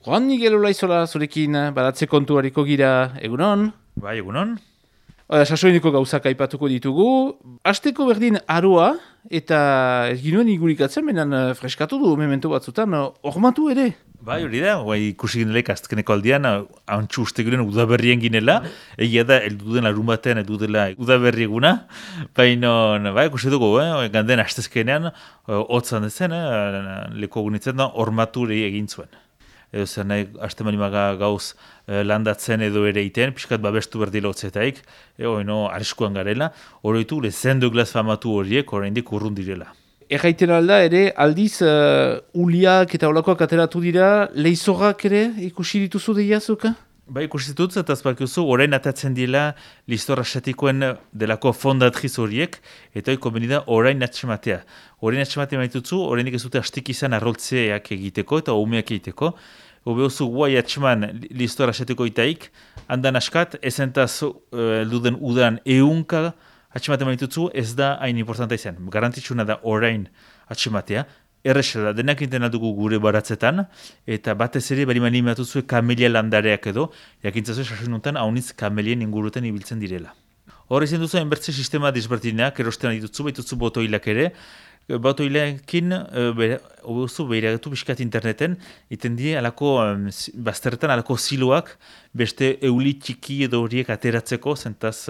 Juan Miguel Olaizola zurekin baratze kontuariko gira, egunon? Bai, egunon. Sasoineko gauzak aipatuko ditugu. Asteko berdin aroa eta ez ginuen igurikatzen, menan freskatu du memento batzutan, ormatu ere. Bai, hori da, ikusi ginelek azkeneko aldian, hantxu uste giren udaberrien ginela, egia da, eldu den larun batean, eldu dela udaberri eguna, baina, ikusi dugu, ganden astezkenean, hotzan dezen, leko gunitzen da, ormaturi egin zuen. Edo zer nahi, haste manimaga gauz landatzen edo ere iten, pixkat babestu berdila hotzetaik, arriskuan garela, horitu, lezen Douglas famatu horiek, oraindik urrun direla. Erraiten alda ere, aldiz uliak eta olakoak ateratu dira, leizorrak ere ikusi dituzu deiazuka? Bai, ikusi dut, eta azpakiuzu, orain atatzen dira listor asetikoen delako fondatriz horiek, eta hori konbenida orain atxematea. Orain atxematea maitutzu, orainik ez dute hastik izan arroltzeak egiteko eta umeak egiteko. Obeozu guai atxeman listor asetiko itaik, handan askat, ezentaz elduden udan eunka atxematea maitutzu, ez da hain importanta izan. Garantitxuna da orain atxematea. Errexela, denak inten aldugu gure baratzetan, eta batez ere bari animatuzue kamelia landareak edo, jakintzazue sasununtan haunitz kamelien inguruten ibiltzen direla. Hor izan duzu enbertze sistema disbertinak, erosten aditutzu, baitutzu botoilak ere, botoilekin behiragatu biskat interneten, iten die alako bazterretan alako siloak beste euli txiki edo horiek ateratzeko, zentaz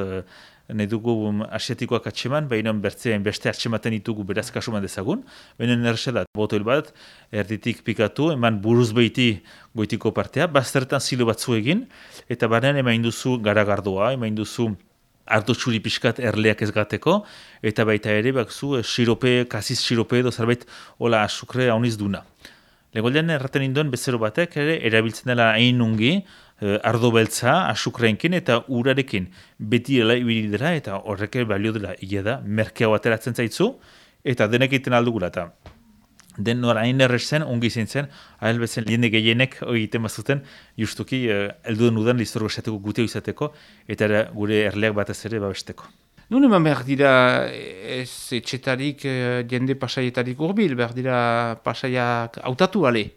nahi dugu asiatikoak atxeman, baina beste atxematen ditugu beraz kasuman dezagun, baina nerxe da, botoil bat, erditik pikatu, eman buruz behiti goitiko partea, bazterretan silo batzu egin, eta banan emain duzu garagardoa, emain duzu ardo txuri pixkat erleak ez gateko, eta baita ere bakzu sirope, kasiz sirope edo zerbait hola asukre hauniz duna. Legoldean erraten induen bezero batek ere erabiltzen dela hain ungi, ardo beltza, asukreenkin eta urarekin beti ibili dela eta horrek balio dela ia da, merkeago ateratzen zaitzu eta denek egiten aldugula eta den nora hain errezen, ongi izan zen, ahal bezen liende gehienek egiten bazuten justuki elduden udan listorgo esateko guteo izateko eta gure erleak batez ere babesteko. Nun eman behar dira ez etxetarik jende pasaietarik urbil, behar dira pasaiak hautatu ale?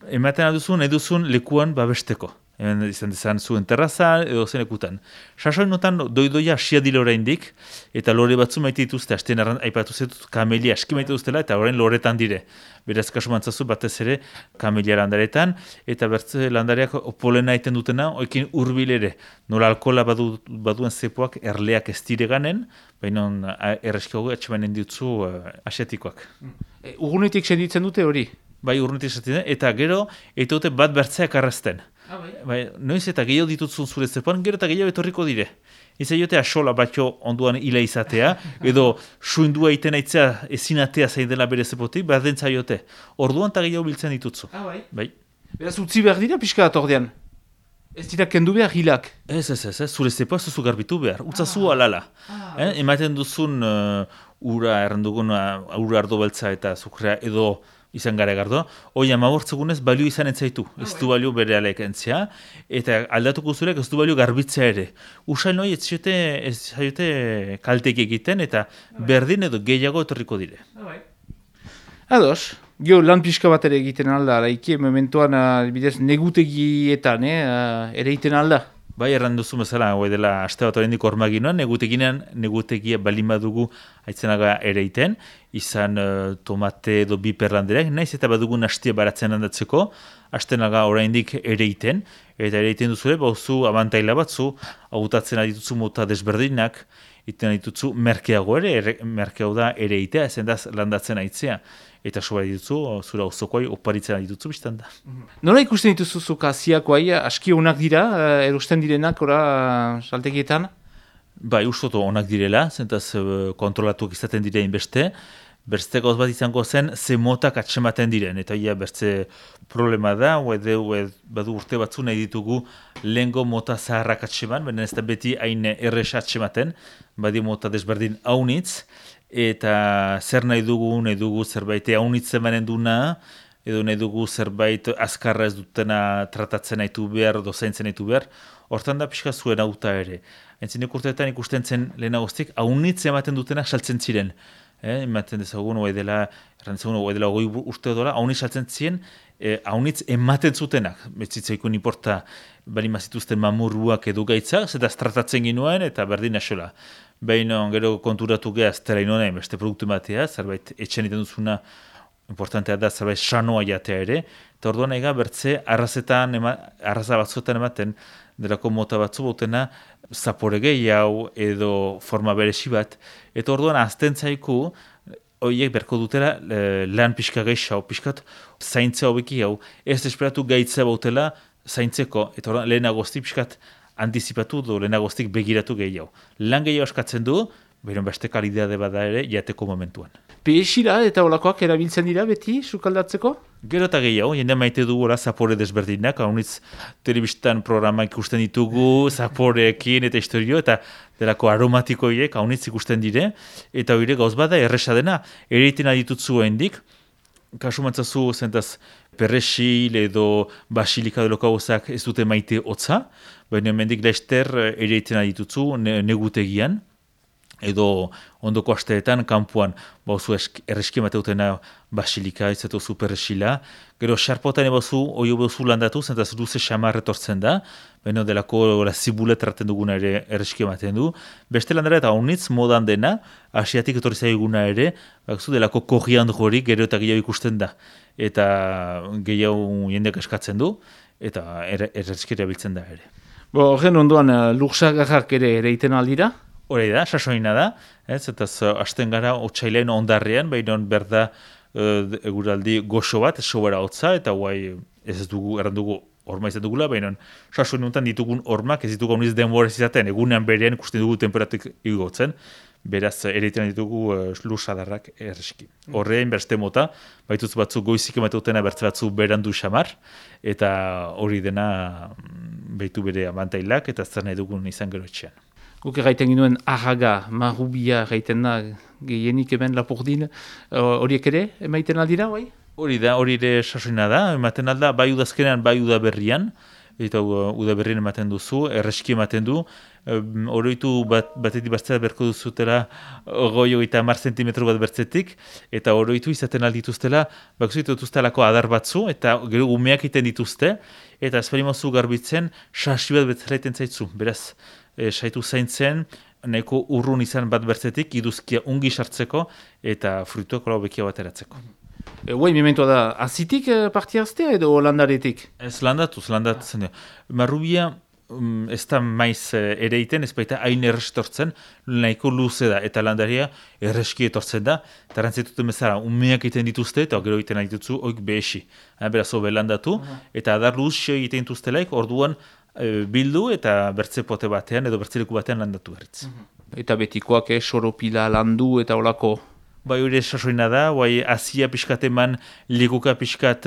Ematen eduzun lekuan babesteko. Hemen izan dezan zuen terrazan edo zen ekutan. Sasoin notan doidoia asia dile oraindik, eta lore batzu maite dituzte, hasten aipatu zetut kamelia aski maite duztela, eta orain loretan dire. Beraz kasu mantzazu batez ere kamelia landaretan, eta bertze landareak polena egiten dutena, oekin hurbil ere. Nola alkohola baduen zepoak erleak ez dire ganen, baina erreskiago atxemanen ditzu asiatikoak. Urgunetik senditzen dute hori? Bai, urrunetik esaten, eta gero, dute bat bertzeak arrazten. Bai, noiz eta gehiago ditutzun zure zepoan, gero eta gehiago etorriko dire. Izan jote asola batxo onduan hila izatea, edo suindua iten aitzea ezinatea zain dela bere zepotik, behar dentza jote. Orduan eta gehiago biltzen ditutzu. Bai. Beraz, utzi behar dira pixka atordean? Ez dira kendu behar hilak? Ez, zure zepoa zuzu garbitu behar, utzazu alala. Ematen duzun ura errandugun, ura ardo beltza eta zukrea edo izan gara gardo, hoi amabortzegunez balio izan entzaitu, ez du balio bere aleak entzia, eta aldatuko zurek ez du balio garbitzea ere. Usain hoi ez zaiote kaltek egiten, eta berdin edo gehiago etorriko dire. Ados, gio lan pixka bat ere egiten alda, laiki mementoan bidez negutegietan ere egiten alda. Bai, erran duzu bezala, dela aste bat oraindik ormaginoan, negutegia balin badugu aitzenaga ere iten, izan tomate edo biper landereak, naiz eta badugun hastia baratzen handatzeko, astenaga oraindik ere iten, eta ere iten duzule, bauzu abantaila batzu, hautatzen adituzu mota desberdinak, iten adituzu merkeago ere, merkeago da ere itea, ezendaz landatzen aitzea. Eta soba dituzu, zura osokoai oparitzen dituzu biztan da. Nola ikusten dituzu zuka ziakoai, aski onak dira, erosten direnak, saltegietan? Bai, ustoto onak direla, zentaz kontrolatuak izaten direin beste. Berste gauz bat izango zen, ze motak atxematen diren. Eta ia bertze problema da, badu urte batzu nahi ditugu lehengo mota zaharrak atxeman, baina ez da beti hain erresa atxematen, badi mota desberdin haunitz, eta zer nahi dugu zerbait haunitzen banen duna, edo nahi dugu zerbait azkarra ez dutena tratatzen nahitu behar, dozaintzen nahitu behar, hortan da pixka zuen auta ere. Entzinek urteetan ikusten zen lehenagoztik, haunitzen ematen dutenak saltzen ziren. Ematen dezagun, oa dela 20 urte dola, hauni saltzen ziren, haunitz ematen zutenak, betzitzaikun importa bali mazituzten mamurruak edo gaitzak, zeta tratatzen ginuen eta berdin asola. Baina gero konturatu gehaz, tera inoen beste produktu ematea, zerbait etxen iten duzuna importantea da, zerbait sanoa jatea ere, eta orduan ega bertze arraza batzuetan ematen, delako mota batzu bautena zapore gehiago edo forma beresi bat, eta orduan azten zaiku, horiek berko dutela lan pixka gehiago, pixkat zaintzea hobeki hau, ez esperatu gaitzea bautela zaintzeko, eta orduan lehenagoztik pixkat antizipatu du, lehenagoztik begiratu gehiago. Lan gehiago askatzen du, behiron beste kalidade bada ere, jateko momentuan. Pehesira eta olakoak erabiltzen dira beti, sukaldatzeko? Gero eta gehiago, jende maite dugu zapore desberdinak, haunitz telebistan programa ikusten ditugu, zaporeekin eta historio, eta delako aromatikoiek haunitz ikusten dire, eta hori gauz bada erresa dena, ereiten aditutzu hendik, kasu mantzazu zentaz perresil edo basilika deloko gauzak ez dute maite hotza, baina mendik laster ereiten aditutzu negutegian, edo ondoko asteetan, kanpuan, bauzu erreski emateutena basilika, ez eta superresila. Gero, xarpotan ebauzu, oio bauzu landatu, zentaz luze xamar etortzen da, baina delako zibulet erraten duguna ere erreski ematen du. Beste landara eta honitz modan dena, asiatik etorri zaiguna ere, bauzu delako koriandro gero eta gehiago ikusten da. Eta gehiago jendeak eskatzen du, eta erreski erabiltzen da ere. Horren ondoan, lursagarrak ere ereiten aldira? Hori da, sasoina da, eta hasten gara otsailean ondarrean, baina berda eguraldi goxo bat, sobera hotza, eta guai ez dugu, errandugu horma izan dugula, baina sasoin honetan ditugun hormak ez ditugu honiz denbora izaten, egunean berean ikusten dugu temperatik igotzen, beraz ereiten ditugu lursadarrak erreski. Horrein berste mota, baituz batzu goizik emateutena bertze batzu berandu xamar, eta hori dena behitu bere abantailak, eta zer nahi dugun izan gero etxean. Guk erraiten ginuen arraga, marrubia erraiten da gehienik hemen Lapurdin, horiek ere emaiten aldira, bai? Hori da, hori ere sasoina da, ematen alda, bai udazkenean, bai udaberrian, eta udaberrien ematen duzu, erreski ematen du, oroitu batetik bastea berko duzutela goi eta 10 zentimetro bat bertzetik, eta oroitu izaten aldituztela, bakuzitu dituztelako adar batzu, eta gero umeak iten dituzte, eta esperimozu garbitzen, sasi bat betzelaiten zaitzu, beraz, saitu zaintzen, nahiko urrun izan bat bertzetik, iduzkia ungi sartzeko, eta fruituak hola bekia bat eratzeko. Guai, mementoa da, azitik partiaztea edo landaretik? Ez landatzen. Marrubia ez da maiz ereiten, ez baita hain errestortzen, nahiko luze da, eta landaria erreski etortzen da, eta rantzituten bezala, umeak egiten dituzte, eta gero egiten ditutzu, oik behesi. Beraz, hobe landatu, eta adar luz egiten dituztelaik, orduan bildu eta bertze pote batean edo bertzeleku batean landatu berriz. Eta betikoak, soropila landu eta olako? Bai hori sasoina da, bai azia pixkat eman, lekuka pixkat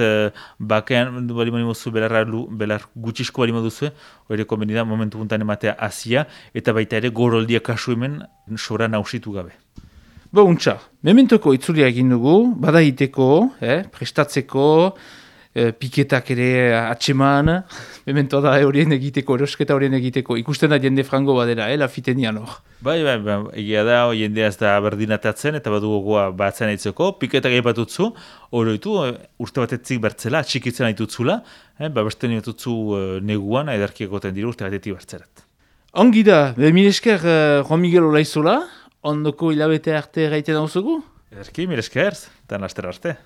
bakean, bali mozu belar gutxisko bali moduzue, hori konbeni da momentu puntan ematea azia, eta baita ere goroldia kasu hemen sobra nausitu gabe. Untxa, mementoko itzulia egin dugu, bada hiteko, prestatzeko, piketak ere atseman, memento da horien egiteko, erosketa horien egiteko, ikusten da jende frango badera, lafitenian hor. Bai, egia da, jendea ez da berdinatatzen, eta badu gogoa batzen aitzeko, piketak egipatutzu, oroitu, urte batetzik bertzela, atxikitzen aitutzula, beste niotutzu neguan, edarkiegoten dira urte batetik bertzerat. Ongi da, mil esker Juan Miguel Olaizola, ondoko hilabete arte gaiten hau zugu? Edarki, mil esker, eta laster arte.